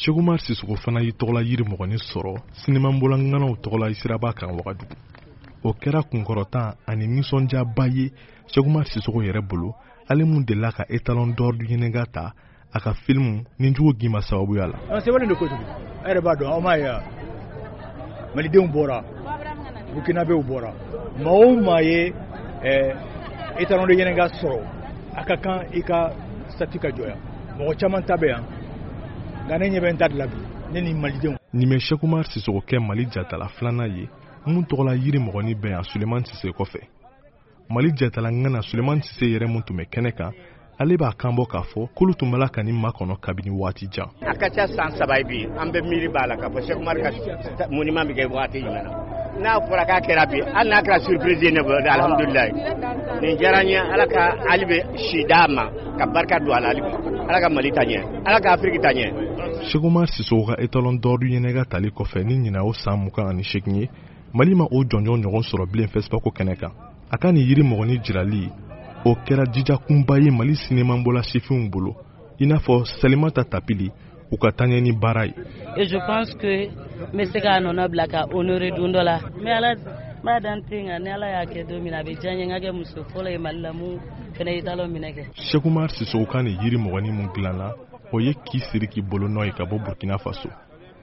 Cheick Oumar Sissoko fana y'i tɔgɔla yiri mɔgɔnin sɔrɔ sinimabɔla ŋanaw tɔgɔla siraba kan Wagadugu. O kɛra kunkɔrɔta ani nisɔndiyaba ye Cheick Oumar Sissoko yɛrɛ bolo, ale mun delila ka étalon d'or du Yennenga ta a ka filimu Nijugu Gima sababuya la. An sɛbɛnnen don kojugu, a yɛrɛ b'a dɔn, aw m'a ye wa, malidenw bɔra, burkinabɛw bɔra, maa o maa ye étalon de Yennenga sɔrɔ, a ka kan i ka statue ka jɔ yan. Mɔgɔ caman ta bɛ yan, nka ne ɲɛ bɛ n ta de la bi, ne ni malidenw. Nin bɛ Cheick Oumar Sissoko kɛ Mali jatala filanan ye mun tɔgɔla yiri mɔgɔnin bɛ yan Sulemani Sise kɔfɛ. Mali jatala ŋana Sulemani Sise yɛrɛ mun tun bɛ kɛnɛ kan, ale b'a kan bɔ k'a fɔ k'olu tun b'a la ka nin makɔnɔ kabini waati jan. A ka ca san 3 ye bi, an bɛ miiri b'a la k'a fɔ Cheick Oumar ka monument bɛ kɛ waati jumɛn na. N'a fɔra k'a kɛra bi, hali n'a kɛra surprise ye ne bolo, alhamdulilayi. Nin diyara n ye, Ala ka hali bɛ si d'a ma, ka barika don a la hali bi. Ala ka Mali ta ɲɛ, Ala ka Afiriki ta ɲɛ. Cheick Oumar Sissoko ka étalon d'or du Yennenga tali kɔfɛ ni ɲinan o san 28 ye, Mali ma o jɔnjɔn ɲɔgɔn sɔrɔ bilen FESPACO kɛnɛ kan. A ka nin yiri mɔgɔnin jirali, o kɛra jijakunba ye Mali sinimabɔla sifinw bolo, i n'a fɔ Salimata Tapili, u ka taaɲɛ ni baara ye. Et je pense que n bɛ se k'a nɔnɔ bila ka honorer don dɔ la. N bɛ Ala n b'a dan ten, nka ni Ala y'a kɛ don min na, a bɛ diya n ye n ka kɛ muso fɔlɔ ye Mali la mun fana ye talon minɛ kɛ. Cheick Oumar Sissoko ka nin yiri mɔgɔnin mun dilanna, o ye k'i siri k'i bolo nɔ ye ka bɔ Burkina Faso,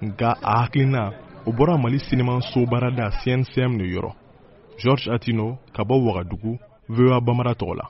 nka a hakilina o bɔra Mali sinimanso baarada CNCM de yɔrɔ. Georges Atino ka bɔ Wagadugu, VOA Bambara tɔgɔ la.